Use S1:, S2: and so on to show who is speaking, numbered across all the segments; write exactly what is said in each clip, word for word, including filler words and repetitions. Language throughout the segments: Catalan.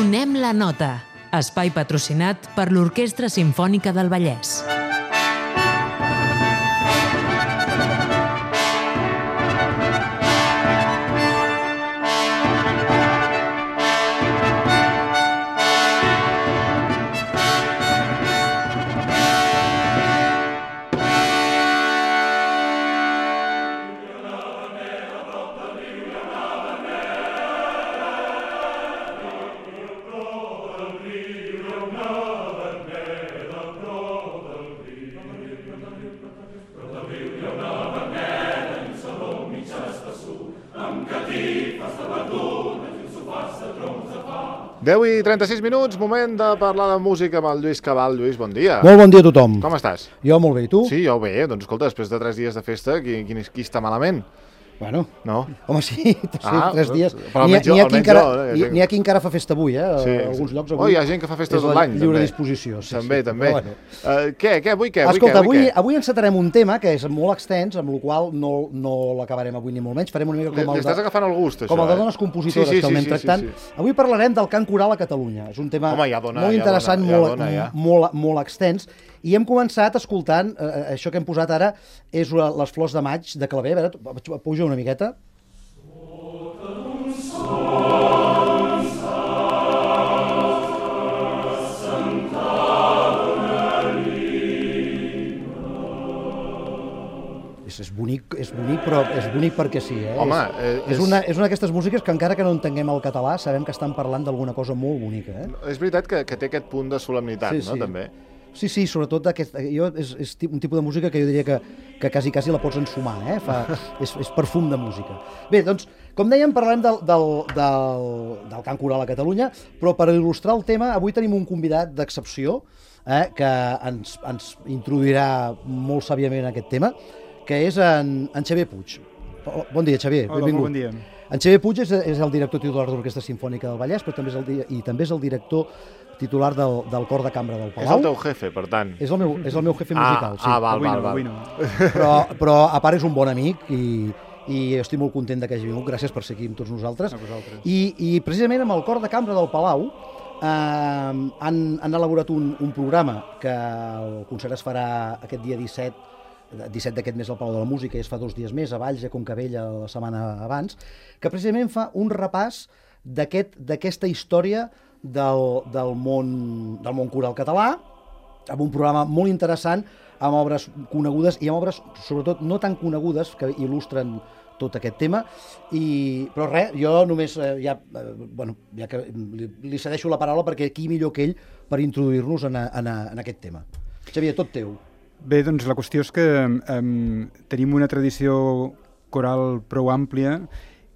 S1: Afinem la nota, espai patrocinat per l'Orquestra Simfònica del Vallès.
S2: deu i trenta-sis minuts, moment de parlar de música amb el Lluís Cabal. Lluís, bon dia.
S3: Molt bon dia a tothom.
S2: Com estàs?
S3: Jo molt bé, i tu?
S2: Sí, jo bé. Doncs escolta, després de tres dies de festa, qui, qui, qui està malament?
S3: Bueno,
S2: no?
S3: Home, sí, sí
S2: ah,
S3: tres dies.
S2: Però
S3: N'hi ha,
S2: jo,
S3: ha, qui encara,
S2: jo, eh?
S3: n'hi ha qui encara fa festa avui, eh?
S2: Sí,
S3: a alguns llocs avui.
S2: Oh, hi ha gent que fa festa tot l'any, també.
S3: És lliure disposició. Sí,
S2: també,
S3: sí,
S2: també.
S3: Bueno.
S2: Uh, què, què, avui què? Avui
S3: Escolta,
S2: què, avui,
S3: avui,
S2: què?
S3: avui encetarem un tema que és molt extens, amb el qual no, no l'acabarem avui ni molt menys. Farem una mica com
S2: li,
S3: el
S2: li estàs
S3: de,
S2: agafant el gust, això,
S3: com el de
S2: eh?
S3: dones compositores,
S2: sí, sí,
S3: que el
S2: sí,
S3: anem
S2: sí,
S3: tractant.
S2: Sí, sí.
S3: Avui parlarem del cant coral a Catalunya. És un tema
S2: Home, ja dona,
S3: molt
S2: ja
S3: interessant,
S2: dona, ja
S3: molt,
S2: dona, ja.
S3: molt, molt extens. I hem començat escoltant, eh, això que hem posat ara és les Flors de Maig de Clavé. A veure, puja una miqueta. És, és, bonic, és bonic, però és bonic perquè sí. Eh?
S2: Home,
S3: és, és, una, és una d'aquestes músiques que encara que no entenguem el català sabem que estan parlant d'alguna cosa molt bonica. Eh?
S2: És veritat que, que té aquest punt de solemnitat,
S3: sí,
S2: no?
S3: Sí.
S2: També.
S3: Sí, sí, sobretot aquest, jo, és, és un tipus de música que jo diria que, que quasi, quasi la pots ensumar, eh? Fa, és, és perfum de música. Bé, doncs, com dèiem, parlem del, del, del, del cant coral a Catalunya, però per il·lustrar el tema, avui tenim un convidat d'excepció eh, que ens, ens introduirà molt sàviament en aquest tema, que és en, en Xavier Puig. Bon dia, Xavier.
S4: Hola,
S3: benvingut.
S4: bon dia.
S3: En Xavier Puig és, és el director titular de l'Orquestra Simfònica del Vallès, però també és el, i també és el director titular del, del cor de cambra del Palau.
S2: És el teu jefe, per tant.
S3: És el meu, és el meu jefe musical,
S2: ah,
S3: sí.
S2: Ah, val,
S4: avui
S2: val,
S4: no,
S2: val.
S4: avui no.
S3: Però, però a part és un bon amic i, i estic molt content que hagi vingut. Gràcies per ser aquí amb tots nosaltres.
S4: A vosaltres.
S3: I, I precisament amb el cor de cambra del Palau eh, han, han elaborat un, un programa que el concert es farà aquest dia disset, disset d'aquest mes al Palau de la Música, i es fa dos dies més a Valls, a Concabella, la setmana abans, que precisament fa un repàs d'aquesta aquest, història del, del, món, del món coral català, amb un programa molt interessant, amb obres conegudes i amb obres, sobretot, no tan conegudes, que il·lustren tot aquest tema. I, però res, jo només eh, ja, eh, bueno, ja que li, li cedeixo la paraula perquè qui millor que ell per introduir-nos en, a, en, a, en aquest tema. Xavier, tot teu.
S4: Bé, doncs la qüestió és que um, tenim una tradició coral prou àmplia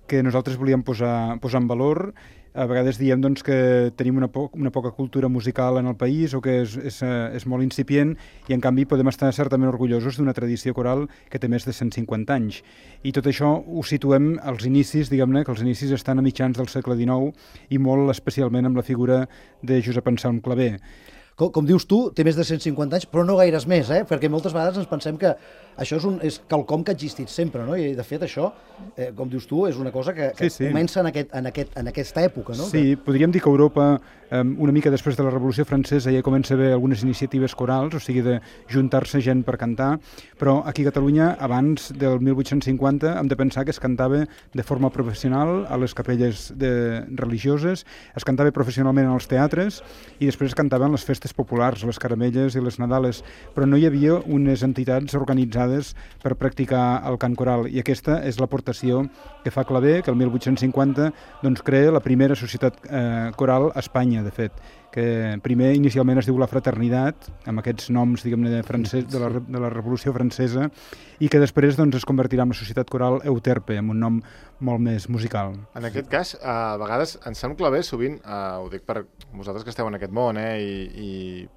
S4: que nosaltres volíem posar, posar en valor. A vegades diem doncs, que tenim una, po una poca cultura musical en el país o que és, és, és molt incipient i en canvi podem estar certament orgullosos d'una tradició coral que té més de cent cinquanta anys. I tot això ho situem als inicis, diguem-ne, que els inicis estan a mitjans del segle dinou i molt especialment amb la figura de Josep Anselm Clavé.
S3: Com, com dius tu, té més de cent cinquanta anys, però no gaires més, eh? Perquè moltes vegades ens pensem que això és, un, és quelcom que ha existit sempre, no? I de fet això, eh, com dius tu, és una cosa que, que
S4: sí, sí.
S3: comença en, aquest, en, aquest, en aquesta època, no?
S4: Sí,
S3: que...
S4: podríem dir que Europa, eh, una mica després de la Revolució Francesa, ja comença a haver algunes iniciatives corals, o sigui, de juntar-se gent per cantar, però aquí a Catalunya, abans del mil vuit-cents cinquanta, hem de pensar que es cantava de forma professional a les capelles de, religioses, es cantava professionalment als teatres i després es cantava en les festes populars, les caramelles i les nadales, però no hi havia unes entitats organitzades per practicar el cant coral, i aquesta és l'aportació que fa Clavé, que el mil vuit-cents cinquanta doncs, crea la primera societat eh, coral a Espanya, de fet, que primer inicialment es diu La Fraternitat, amb aquests noms, diguem-ne, de, francès, de, la, de la Revolució Francesa, i que després doncs, es convertirà en la Societat Coral Euterpe, amb un nom molt més musical.
S2: En aquest cas, a vegades, Anselm Clavé, sovint, eh, ho dic per vosaltres que esteu en aquest món, eh, i, i,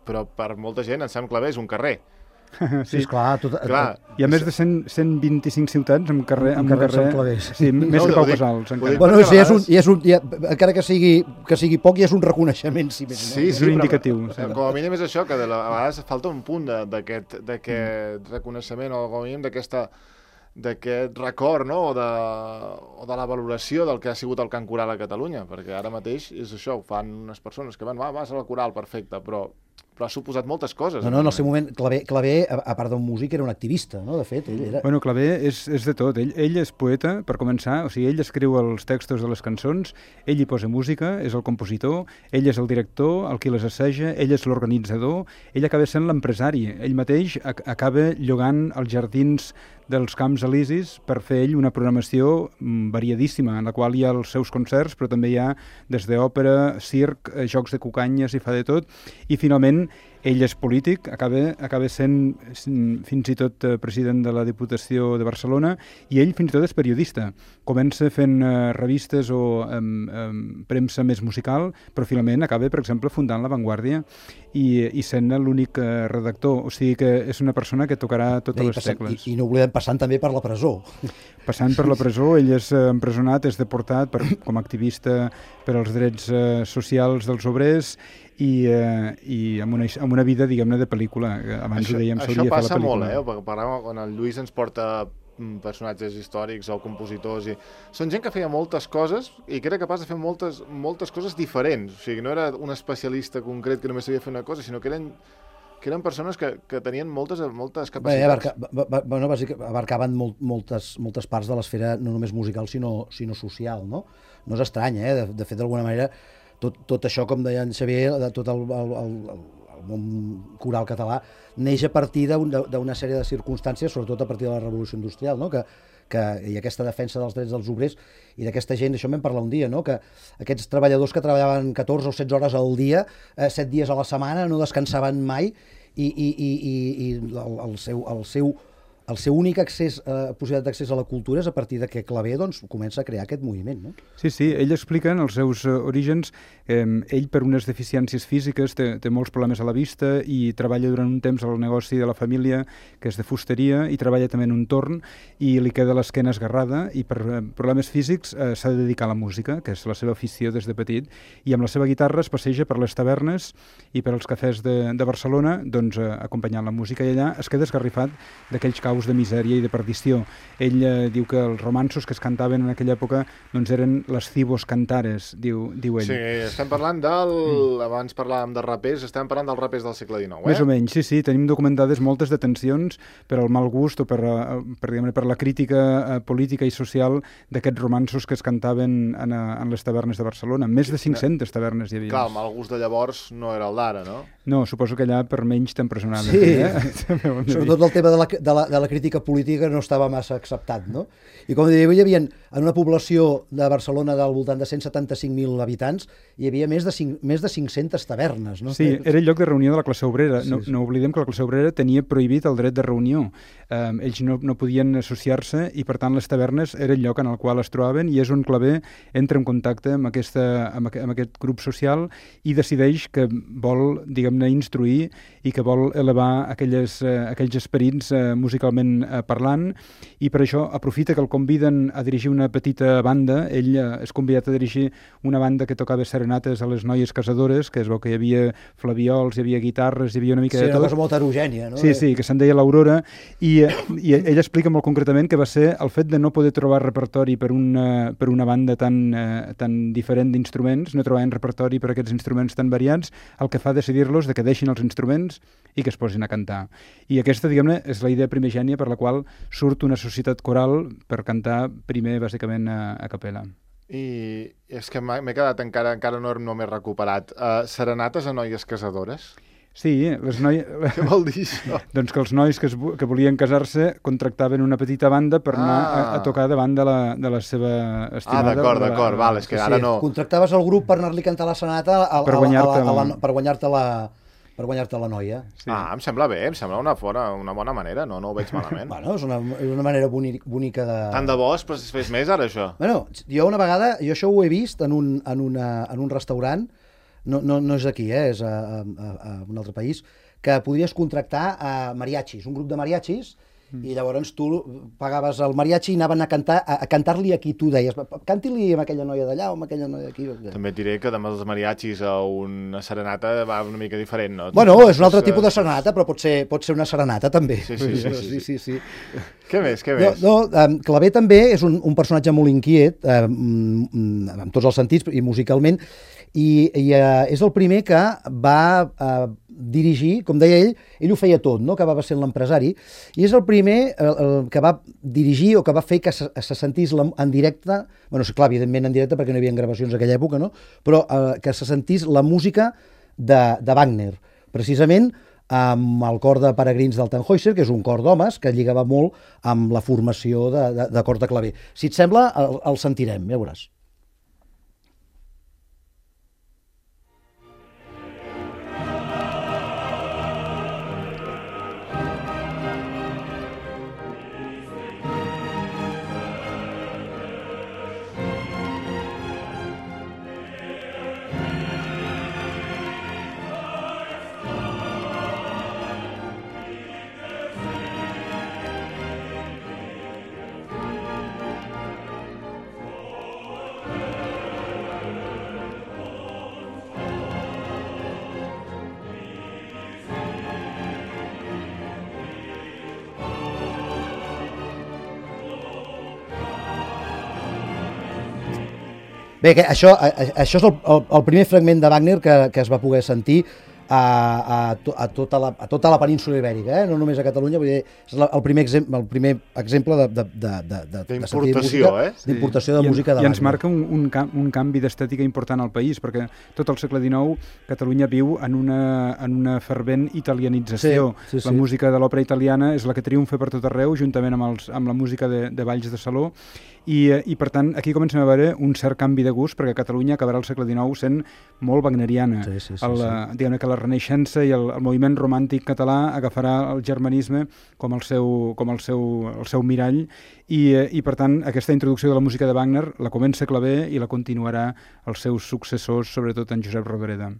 S2: però per molta gent, Anselm Clavé és un carrer.
S3: Sí, esclar. Tot,
S2: clar.
S4: Hi ha més de cent, cent vint-i-cinc ciutats amb carrer, amb
S3: carrer,
S4: carrer,
S3: carrer
S4: sí, més
S2: no,
S4: que Pau
S2: dic,
S4: Casals.
S2: dic,
S3: bueno, sí, és un, és un, ja, encara que sigui, que sigui poc, ja és un reconeixement. Si més,
S2: sí,
S3: no?
S2: sí,
S4: és un indicatiu.
S2: Però, com a mínim és això, que de la, a vegades falta un punt d'aquest reconeixement, o com a mínim d'aquesta d'aquest record, no? o, de, o de la valoració del que ha sigut el cant coral a Catalunya, perquè ara mateix és això, ho fan unes persones que van, va, vas a la coral, perfecte, però, però ha suposat moltes coses.
S3: No, no, en el seu moment, Clavé, Clavé a, a part d'un músic, era un activista, no? De fet, ell era...
S4: Bueno, Clavé és, és de tot. Ell, ell és poeta, per començar, o sigui, ell escriu els textos de les cançons, ell hi posa música, és el compositor, ell és el director, el qui les asseja, ell és l'organitzador, ell acaba sent l'empresari, ell mateix ac acaba llogant els jardins dels Camps Elisis per fer ell una programació variadíssima, en la qual hi ha els seus concerts, però també hi ha des d'òpera, circ, jocs de cucanyes, i fa de tot, i finalment ell és polític, acaba, acaba sent fins i tot president de la Diputació de Barcelona, i ell fins i tot és periodista. Comença fent uh, revistes o um, um, premsa més musical, però finalment acaba, per exemple, fundant La Vanguardia i, i sent l'únic uh, redactor. O sigui que és una persona que tocarà totes
S3: I
S4: les
S3: passant,
S4: tecles.
S3: I, I no oblidem passant també per la presó.
S4: Passant per la presó, ell és uh, empresonat, és deportat per, com a activista per als drets uh, socials dels obrers, i, eh, i amb, una, amb una vida, diguem-ne, de pel·lícula. Abans
S2: això,
S4: ho dèiem,
S2: això
S4: s'hauria de fer la
S2: passa
S4: pel·lícula.
S2: molt, eh? Perquè parlem, quan el Lluís ens porta personatges històrics o compositors, i són gent que feia moltes coses i que era capaç de fer moltes, moltes coses diferents. O sigui, no era un especialista concret que només sabia fer una cosa, sinó que eren que eren persones que, que tenien moltes, moltes capacitats.
S3: Bé, abarca, ba, bueno, bàsicament, abarcaven molt, moltes, moltes parts de l'esfera no només musical, sinó, sinó social, no? No és estrany, eh? De, de fet, d'alguna manera, tot, tot això, com deia en Xavier, de tot el, el, el, el món coral català, neix a partir d'una sèrie de circumstàncies, sobretot a partir de la Revolució Industrial, no? que, que, i aquesta defensa dels drets dels obrers i d'aquesta gent, això en vam parlar un dia, no? Que aquests treballadors que treballaven catorze o setze hores al dia, eh, set dies a la setmana, no descansaven mai, i, i, i, i, i el, el seu... El seu el seu únic accés, eh, possibilitat d'accés a la cultura és a partir de que Clavé doncs, comença a crear aquest moviment. No?
S4: Sí, sí, ell explica en els seus uh, orígens, eh, ell per unes deficiències físiques té, té molts problemes a la vista i treballa durant un temps al negoci de la família, que és de fusteria, i treballa també en un torn, i li queda l'esquena esgarrada, i per uh, problemes físics uh, s'ha de dedicar a la música, que és la seva afició des de petit, i amb la seva guitarra es passeja per les tavernes i per als cafès de, de Barcelona, doncs, uh, acompanyant la música, i allà es queda esgarrifat d'aquells caus de misèria i de perdició. Ell eh, diu que els romanços que es cantaven en aquella època doncs eren les cibos cantares, diu, diu ell.
S2: Sí, estem parlant del... Mm. Abans parlàvem de rapers, estem parlant dels rapers del segle dinou, eh?
S4: Més o menys, sí, sí. Tenim documentades moltes detencions per al mal gust o per, per, per, per la crítica eh, política i social d'aquests romanços que es cantaven en, en les tavernes de Barcelona. Més de cinc-centes tavernes hi havia.
S2: Clar, el mal gust de llavors no era el d'ara, no?
S4: No, suposo que allà per menys t'empresonaven.
S3: Sí,
S4: eh?
S3: Sobretot el tema de la, de, la, de la crítica política no estava massa acceptat, no? I com diria, hi havia, en una població de Barcelona del voltant de cent setanta-cinc mil habitants, hi havia més de, cinc, més de cinc-centes tavernes, no?
S4: Sí, era el lloc de reunió de la classe obrera.
S3: Sí,
S4: no,
S3: sí.
S4: no oblidem que la classe obrera tenia prohibit el dret de reunió. Um, ells no, no podien associar-se i, per tant, les tavernes era el lloc en el qual es trobaven i és on Clavé entra en contacte amb, aquesta, amb, aqu amb aquest grup social i decideix que vol, diguem-ne, instruir i que vol elevar aquelles, uh, aquells esperits uh, musicalment uh, parlant, i per això aprofita que el conviden a dirigir una petita banda. Ell uh, és convidat a dirigir una banda que tocava serenates a les noies casadores, que es veu que hi havia flaviols, hi havia guitarres, hi havia una mica
S3: sí,
S4: de tot.
S3: Sí, una cosa molt heterogènia, no?
S4: Sí, sí, que se'n deia l'Aurora, i, i ell explica molt concretament que va ser el fet de no poder trobar repertori per una, per una banda tan, eh, tan diferent d'instruments, no trobaven repertori per aquests instruments tan variats, el que fa decidir-los de que deixin els instruments i que es posin a cantar. I aquesta, diguem-ne, és la idea primigènia per la qual surt una societat coral per cantar primer, bàsicament, a, a capella.
S2: I és que m'he quedat encara, encara no, no m'he recuperat. Uh, serenates a noies casadores?
S4: Sí, les noies...
S2: Què vol dir això?
S4: Doncs que els nois que, es, que volien casar-se contractaven una petita banda per anar ah. a, a tocar davant de la, de la seva estimada.
S2: Ah, d'acord, d'acord, val, és que
S3: sí,
S2: ara no...
S3: Contractaves el grup per anar-li a cantar la sonata a,
S4: per
S3: a,
S4: guanyar-te
S3: a, a,
S4: la...
S3: la, per guanyar-te la... per guanyar-te la noia.
S2: Sí. Ah, em sembla bé, em sembla una, fora, una bona manera, no, no ho veig malament.
S3: Bueno, és una, és una manera bonica de...
S2: Tant de bo es fes més ara, això.
S3: Bueno, jo una vegada, jo això ho he vist en un, en una, en un restaurant, no, no, no és aquí, eh, és a, a, a un altre país, que podries contractar a mariachis, un grup de mariachis, i llavors tu pagaves el mariachi i anaven a cantar a, a cantar-li a qui tu deies, canti-li amb aquella noia d'allà o amb aquella noia d'aquí.
S2: També et diré que amb els mariachis a una serenata va una mica diferent, no?
S3: Bueno, és un altre tipus de serenata, però pot ser, pot ser una serenata també.
S2: Sí, sí, sí. sí,
S3: sí, sí, sí.
S2: Què més, què més?
S3: No, no, um, Clavé també és un, un personatge molt inquiet, um, en tots els sentits i musicalment, i, i uh, és el primer que va uh, dirigir, com deia ell, ell ho feia tot, no? Que va ser l'empresari, i és el primer el, el, que va dirigir o que va fer que se, se sentís la, en directe, bueno, clar, evidentment en directe perquè no hi havia gravacions aquella època, no? Però uh, que se sentís la música de, de Wagner, precisament amb el cor de peregrins del Tannhäuser, que és un cor d'homes que lligava molt amb la formació de, de, de cor de claver. Si et sembla, el, el sentirem, ja veuràs. Bé, que això, això és el, el, el primer fragment de Wagner que, que es va poder sentir a, a, a, tota, la, a tota la península ibèrica, eh? No només a Catalunya, vull dir, és el primer, exemple, el primer exemple de, de, de, de, de, de sentir música,
S2: eh?
S3: d'importació de
S4: I,
S3: música de
S4: I
S3: Wagner.
S4: ens marca un, un, un canvi d'estètica important al país, perquè tot el segle dinou Catalunya viu en una, en una fervent italianització.
S3: Sí, sí, sí.
S4: La música de l'òpera italiana és la que triomfa per tot arreu, juntament amb, els, amb la música de, de balls de saló, i, i per tant aquí comencem a veure un cert canvi de gust, perquè Catalunya acabarà el segle dinou sent molt wagneriana.
S3: Sí, sí, sí,
S4: el,
S3: sí.
S4: Diguem-ne que la Renaixença i el, el moviment romàntic català agafarà el germanisme com el seu, com el seu, el seu mirall, i, i per tant aquesta introducció de la música de Wagner la comença Clavé i la continuarà els seus successors, sobretot en Josep Rodoreda.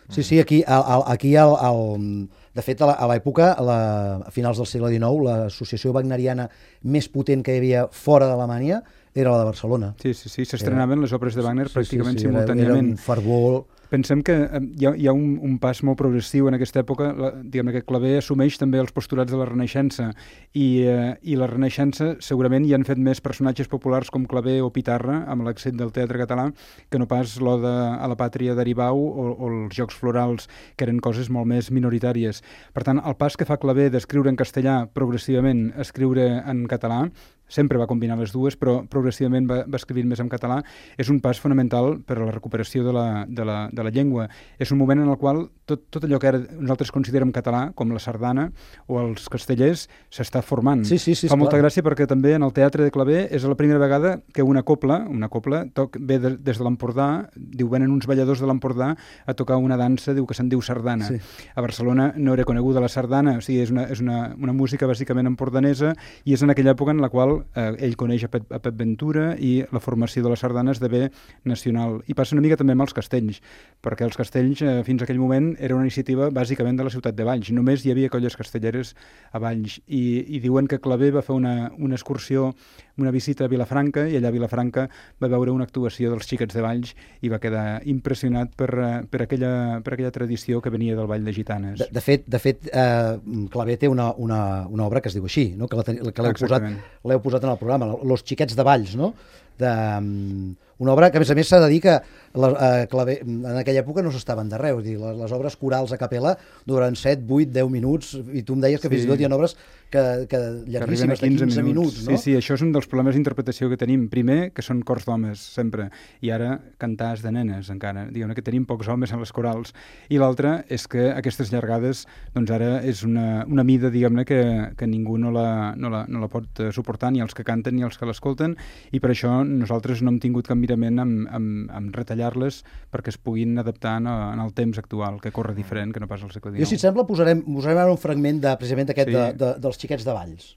S3: Sí, sí, aquí, al, aquí al, al, de fet, a l'època, a, la, a finals del segle dinou, l'associació wagneriana més potent que hi havia fora d'Alemanya era la de Barcelona.
S4: Sí, sí, sí, s'estrenaven les òperes de Wagner
S3: sí,
S4: pràcticament
S3: sí, sí,
S4: simultàniament.
S3: Era un fervor.
S4: Pensem que hi ha, hi ha un, un pas molt progressiu en aquesta època, la, diguem que Clavé assumeix també els postulats de la Renaixença, i, eh, i la Renaixença segurament hi han fet més personatges populars com Clavé o Pitarra, amb l'accent del teatre català, que no pas l'Oda a la Pàtria d'Aribau o, o els Jocs Florals, que eren coses molt més minoritàries. Per tant, el pas que fa Clavé d'escriure en castellà progressivament a escriure en català, sempre va combinar les dues, però progressivament va, va escrivint més en català, és un pas fonamental per a la recuperació de la, de la, de la llengua. És un moment en el qual tot, tot allò que ara nosaltres considerem català, com la sardana o els castellers, s'està formant.
S3: Sí, sí, sí,
S4: Fa molta
S3: clar.
S4: gràcia perquè també en el teatre de Clavé és la primera vegada que una copla, una copla toc, ve de, des de l'Empordà, diu, venen uns balladors de l'Empordà a tocar una dansa, diu que se'n diu sardana.
S3: Sí.
S4: A Barcelona no era coneguda la sardana, o sigui, és una, és una, una música bàsicament empordanesa, i és en aquella època en la qual eh, ell coneix a Pep, a Pep Ventura, i la formació de la sardana esdevé nacional. I passa una mica també amb els castells, perquè els castells eh, fins a aquell moment era una iniciativa bàsicament de la ciutat de Valls. Només hi havia colles castelleres a Valls, i, i diuen que Clavé va fer una, una excursió, una visita a Vilafranca, i allà a Vilafranca va veure una actuació dels xiquets de Valls i va quedar impressionat per, per, aquella, per aquella tradició que venia del Ball de Gitanes.
S3: De, de fet, de fet eh, Clavé té una, una, una obra que es diu així, no? que l'heu posat, l'heu posat en el programa, Los xiquets de Valls, no? De, um, una obra que a més a més s'ha de dir que la, uh, Clavé, en aquella època no s'estaven d'arreu, les, les obres corals a capella duren set, vuit, deu minuts, i tu em deies que sí. fins i tot hi ha obres que, que llarguíssimes, de quinze minuts, no?
S4: Sí, sí, això és un dels problemes d'interpretació que tenim. Primer, que són cors d'homes, sempre, i ara cantars de nenes, encara. Diguem que tenim pocs homes en les corals. I l'altre és que aquestes llargades, doncs ara és una, una mida, diguem-ne, que, que ningú no la, no, la, no la pot suportar, ni els que canten ni els que l'escolten, i per això nosaltres no hem tingut cap mirament amb, amb, amb retallar-les perquè es puguin adaptar en, en el temps actual, que corre diferent, que no pas al segle dinou.
S3: Jo, si et sembla, posarem, posarem ara un fragment de, precisament d'aquest, sí. de, de, dels xiquets de Valls.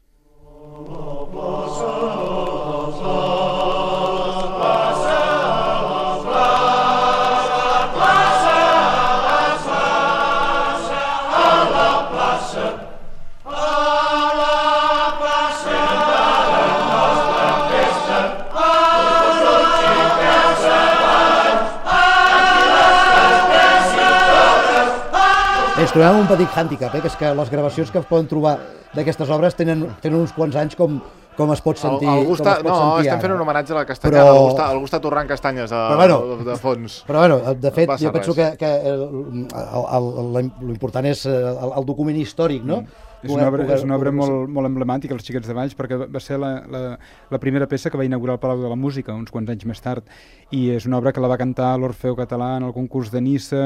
S5: A la
S3: ens trobem un petit hàndicap, eh, que és que les gravacions que es poden trobar d'aquestes obres tenen, tenen uns quants anys com, com es pot sentir,
S2: el, el Gusta,
S3: com es pot
S2: no,
S3: sentir
S2: estem
S3: ara.
S2: fent un homenatge a la Castanyada,
S3: Però...
S2: el, Gusta, el Gusta torrant castanyes a,
S3: Però bueno,
S2: de, de fons.
S3: Però bueno, de fet,
S2: passa
S3: jo penso
S2: res.
S3: que, que el, el, el, l'important és el, el document històric, no?
S4: Mm. És una obra, és una obra molt, molt emblemàtica, Els Xiquets de Valls, perquè va ser la, la, la primera peça que va inaugurar el Palau de la Música, uns quants anys més tard, i és una obra que la va cantar l'Orfeo Català en el concurs de Niça,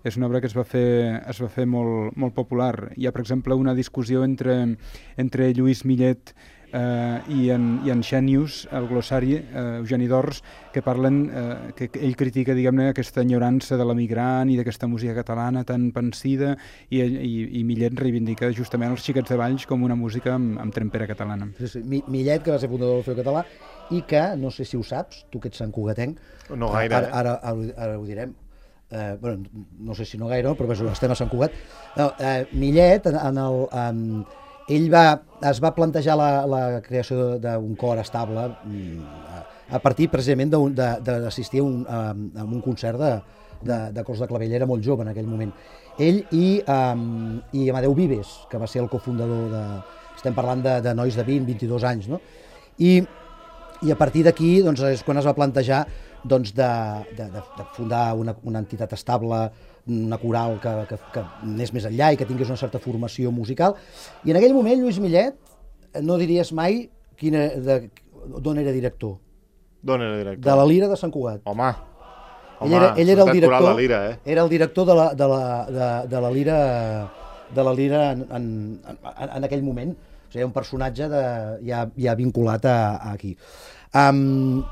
S4: és una obra que es va fer, es va fer molt, molt popular. Hi ha, per exemple, una discussió entre, entre Lluís Millet Uh, i, en, i en Xènius, el glossari, uh, Eugeni d'Ors, que parlen, uh, que ell critica, diguem-ne, aquesta enyorança de l'emigrant i d'aquesta música catalana tan pensida, i, i, i Millet reivindica justament els Xiquets de Valls com una música amb, amb trempera catalana.
S3: Sí, sí. Millet, que va ser fundador del Feu Català, i que, no sé si ho saps, tu que ets santcugatenc,
S2: no gaire,
S3: ara, ara, ara, ara ho direm, eh, bueno, no sé si no gaire, però estem a Sant Cugat. No, eh, Millet, en, en el... En, ell va, es va plantejar la, la creació d'un cor estable a, a partir precisament d'assistir a, un, a, a un concert de, de, de cors de clavell. Era molt jove en aquell moment. Ell i, um, i Amadeu Vives, que va ser el cofundador de... Estem parlant de, de nois de vint, vint-i-dos anys, no? I, i a partir d'aquí doncs, és quan es va plantejar doncs, de, de, de fundar una, una entitat estable, una coral que, que, que anés més enllà i que tingués una certa formació musical. I en aquell moment Lluís Millet, no diries mai quina, de, d'on era director.
S2: D'on era director?
S3: De la Lira de Sant Cugat.
S2: Home, home,
S3: ell era, ell era el director,
S2: la Lira, eh?
S3: Era el director de la, de la, de, de la Lira, de la Lira en, en, en, en aquell moment. O sigui, un personatge de, ja, ja vinculat a, a aquí. Um,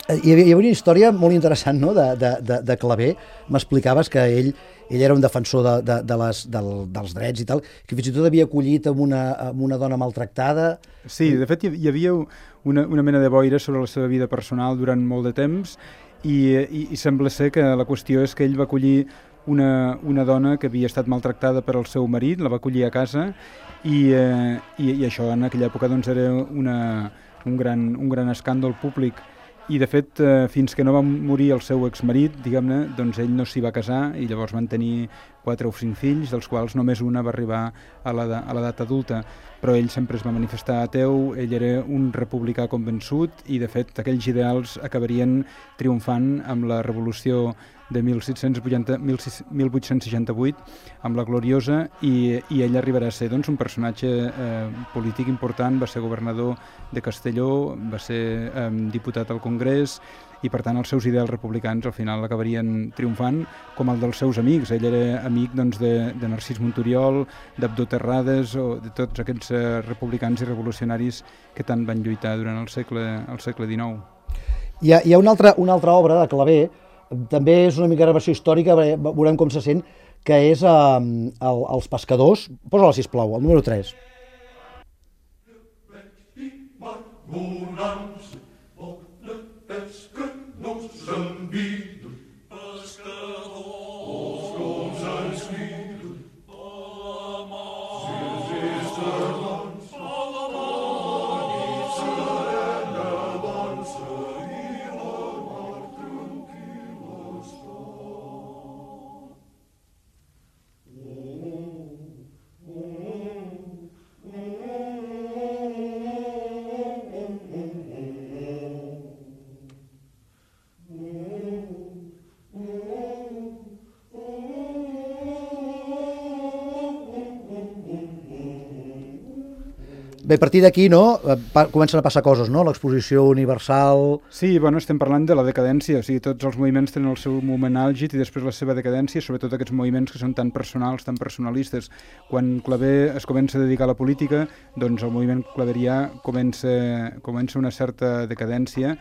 S3: Hi havia, hi havia una història molt interessant, no?, de, de, de, de Clavé. M'explicaves que ell, ell era un defensor de, de, de les, del, dels drets i tal, que fins i tot havia acollit amb una, amb una dona maltractada.
S4: Sí, de fet hi havia una, una mena de boira sobre la seva vida personal durant molt de temps i, i, i sembla ser que la qüestió és que ell va acollir una, una dona que havia estat maltractada per el seu marit, la va acollir a casa i, eh, i, i això en aquella època doncs, era una, un, gran, un gran escàndol públic. I, de fet, eh, fins que no va morir el seu exmarit, diguem-ne, doncs ell no s'hi va casar i llavors van tenir quatre o cinc fills, dels quals només una va arribar a l'edat adulta. Però ell sempre es va manifestar ateu, ell era un republicà convençut i, de fet, aquells ideals acabarien triomfant amb la revolució de mil vuit-cents seixanta-vuit, amb la Gloriosa, i, i ell arribarà a ser doncs, un personatge eh, polític important, va ser governador de Castelló, va ser eh, diputat al Congrés, i per tant els seus ideals republicans al final acabarien triomfant, com el dels seus amics. Ell era amic doncs, de, de Narcís Monturiol, d'Abdó Terrades, o de tots aquests eh, republicans i revolucionaris que tant van lluitar durant el segle, el segle dinou.
S3: Hi ha, hi ha una, altra, una altra obra de Clavé, també és una mica gravació històrica, veurem com se sent, que és eh, el, Els pescadors. Posa-la, sisplau, el número tres. Bé, a partir d'aquí, no?, comencen a passar coses, no?, l'exposició universal...
S4: Sí, bueno, estem parlant de la decadència, o sigui, tots els moviments tenen el seu moment àlgid i després la seva decadència, sobretot aquests moviments que són tan personals, tan personalistes. Quan Clavé es comença a dedicar a la política, doncs el moviment claverià comença, comença una certa decadència.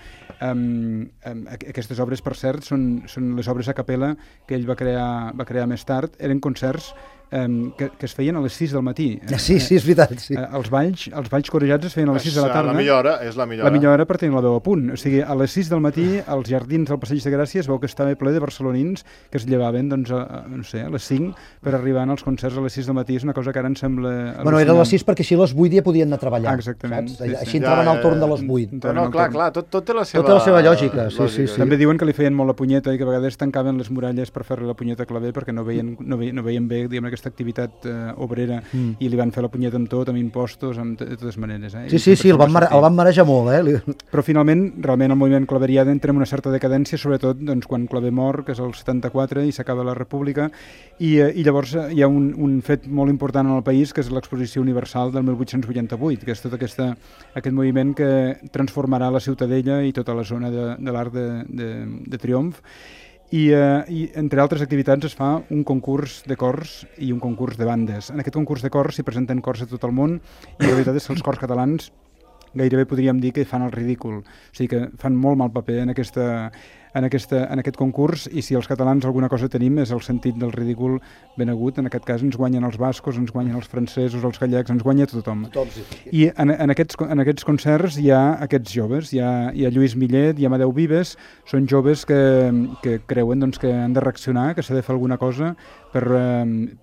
S4: Um, um, aquestes obres, per cert, són, són les obres a capella que ell va crear, va crear més tard, eren concerts Um, que, que es feien a les sis del matí.
S3: Ja, sí, sí, és veritat. Sí.
S4: Eh, els balls, els balls corejats es feien a les sis de la tarda.
S2: La millor hora, és la millor hora.
S4: La millor hora per tenir la veu a punt. O sigui, a les sis del matí, als jardins del Passeig de Gràcia es veu que estava ple de barcelonins que es llevaven, doncs, a, no sé, a les cinc per arribar als concerts a les sis del matí. És una cosa que ara em sembla al·lucinant.
S3: Bueno, era a les sis perquè així a les vuit ja podien anar a treballar.
S4: Ah, exactament.
S3: Sí,
S4: sí.
S3: Així entraven ja, ja, al torn de les vuit.
S2: No, no, clar, clar, tot, tot té la seva...
S3: Tota la seva lògica, sí,
S2: lògica.
S3: sí, sí.
S4: També diuen que li feien molt la punyeta i que a vegades tancaven les muralles per fer-li la punyeta a Clavé perquè no veien, no veien, no veien bé, diguem, aquesta activitat eh, obrera mm. i li van fer la punyeta amb tot, amb impostos, amb de totes maneres. Eh?
S3: Sí, sí, sí, el van, mare, el van marejar molt. Eh?
S4: Però finalment, realment el moviment claverià entra en una certa decadència, sobretot doncs, quan Claver mor, que és el setanta-quatre, i s'acaba la República, i, i llavors hi ha un, un fet molt important en el país, que és l'exposició universal del mil vuit-cents vuitanta-vuit, que és tot aquesta, aquest moviment que transformarà la Ciutadella i tota la zona de, de l'Arc de, de, de Triomf. I, eh, I entre altres activitats es fa un concurs de cors i un concurs de bandes. En aquest concurs de cors s'hi presenten cors de tot el món i la veritat és que els cors catalans gairebé podríem dir que fan el ridícul. O sigui que fan molt mal paper en, aquesta, en, aquesta, en aquest concurs, i si els catalans alguna cosa tenim és el sentit del ridícul ben agut. En aquest cas ens guanyen els bascos, ens guanyen els francesos, els gallecs, ens guanya tothom.
S3: Tothom sí.
S4: I en, en, aquests, en aquests concerts hi ha aquests joves, hi ha, hi ha Lluís Millet, hi ha Amadeu Vives, són joves que, que creuen doncs, que han de reaccionar, que s'ha de fer alguna cosa per,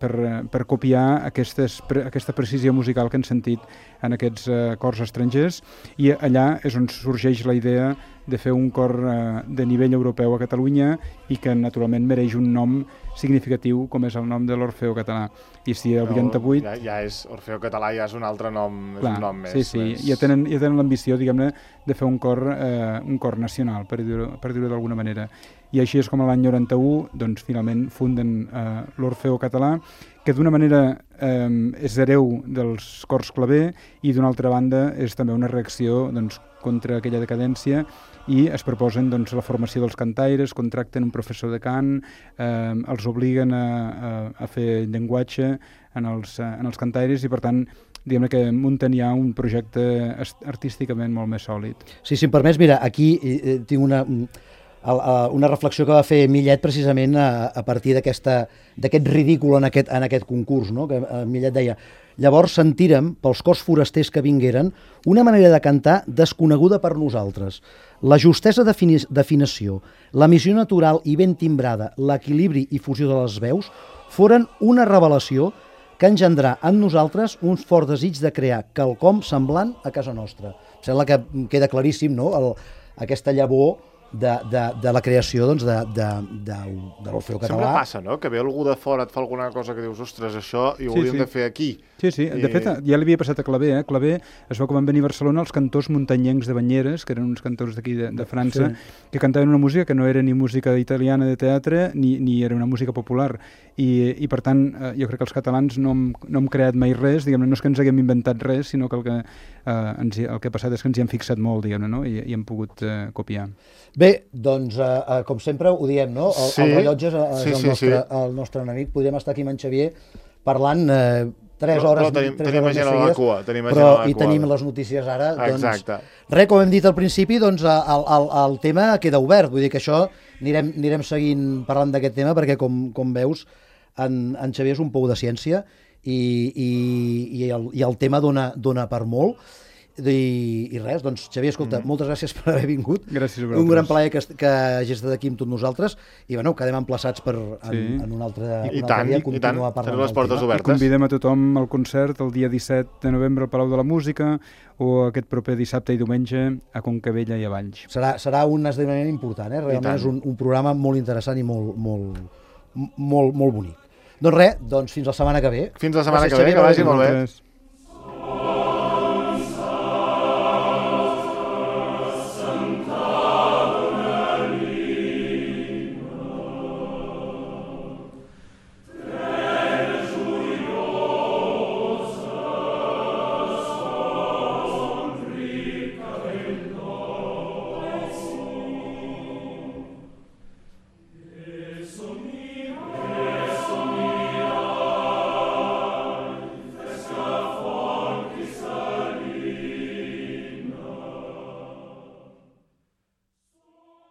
S4: per, per copiar aquestes, aquesta precisió musical que han sentit en aquests uh, cors estrangers, i allà és on sorgeix la idea de fer un cor uh, de nivell europeu a Catalunya i que naturalment mereix un nom significatiu com és el nom de l'Orfeó Català. I si el vuitanta-vuit...
S2: Ja, ja és Orfeó Català, ja és un altre nom,
S4: clar,
S2: és un nom més...
S4: Sí, sí, més... ja tenen, ja tenen l'ambició, diguem-ne, de fer un cor, eh, un cor nacional, per dir-ho per dir-ho d'alguna manera. I així és com l'any noranta-u, doncs, finalment funden eh, l'Orfeó Català, que d'una manera eh, és hereu dels cors Claver i d'una altra banda és també una reacció doncs, contra aquella decadència, i es proposen doncs, la formació dels cantaires, contracten un professor de cant, eh, els obliguen a, a, a fer llenguatge en els, en els cantaires, i per tant diguem que munten ja un projecte artísticament molt més sòlid.
S3: Sí, si em permets, mira, aquí eh, tinc una... una reflexió que va fer Millet precisament a, a partir d'aquest ridícul en aquest, en aquest concurs, no? Que Millet deia: llavors sentirem, pels cors forasters que vingueren, una manera de cantar desconeguda per nosaltres. La justesa d'afinació, la missió natural i ben timbrada, l'equilibri i fusió de les veus, foren una revelació que engendrà en nosaltres un fort desig de crear quelcom semblant a casa nostra. Em sembla que queda claríssim, no?, El, aquesta llavor De, de, de la creació doncs, de, de, de, de l'Orfeó Català.
S2: Sempre passa, no?, que ve algú de fora, et fa alguna cosa que dius, ostres, això hi ho
S4: sí,
S2: hauríem
S4: sí.
S2: de fer aquí.
S4: Sí, sí, de
S2: I...
S4: fet ja li havia passat a Claver, eh? Claver es va com van venir a Barcelona els cantors muntanyencs de Banyeres, que eren uns cantors d'aquí de, de França, sí. que cantaven una música que no era ni música italiana de teatre, ni, ni era una música popular. I, i per tant, eh, jo crec que els catalans no hem, no hem creat mai res, diguem-ne, no és que ens haguem inventat res, sinó que el que, eh, ens, el que ha passat és que ens hi hem fixat molt, diguem-ne, no? I, i hem pogut eh, copiar.
S3: Bé, doncs, eh, com sempre ho diem, no? El,
S2: sí.
S3: el rellotge és, és
S2: sí,
S3: el,
S2: sí,
S3: nostre,
S2: sí.
S3: el nostre enemic. Podríem estar aquí amb en Xavier parlant eh, tres hores,
S2: però, però tenim,
S3: tres
S2: tenim
S3: hores
S2: gent
S3: més
S2: a la cua, tenim però,
S3: però,
S2: a la
S3: i
S2: cua.
S3: tenim les notícies ara.
S2: Exacte.
S3: Doncs, res, com hem dit al principi, doncs, el, el, el tema queda obert. Vull dir que això anirem, anirem seguint parlant d'aquest tema perquè, com, com veus, en, en Xavier és un pou de ciència i, i, i, el, i el tema dona, dona per molt. I, i res, doncs Xavier, escolta, mm. moltes gràcies per haver vingut.
S4: Gràcies a vosaltres.
S3: Un gran plaer que, que hagis estat aquí amb tots nosaltres i bueno, quedem emplaçats per en, sí. en un altre,
S2: I,
S3: un altre
S2: tant,
S3: dia
S2: i
S3: continuar
S2: tant,
S3: parlant
S2: les portes
S3: tema.
S2: obertes.
S4: I convidem a tothom al concert el dia disset de novembre al Palau de la Música o aquest proper dissabte i diumenge a Concabella i a Valls.
S3: Serà, serà un esdeveniment important, eh? Realment és un, un programa molt interessant i molt, molt, molt, molt bonic. Doncs res, doncs fins la setmana que ve.
S2: Fins la setmana
S3: Gràcies,
S2: que ve,
S3: Xavier,
S2: que vagi molt bé.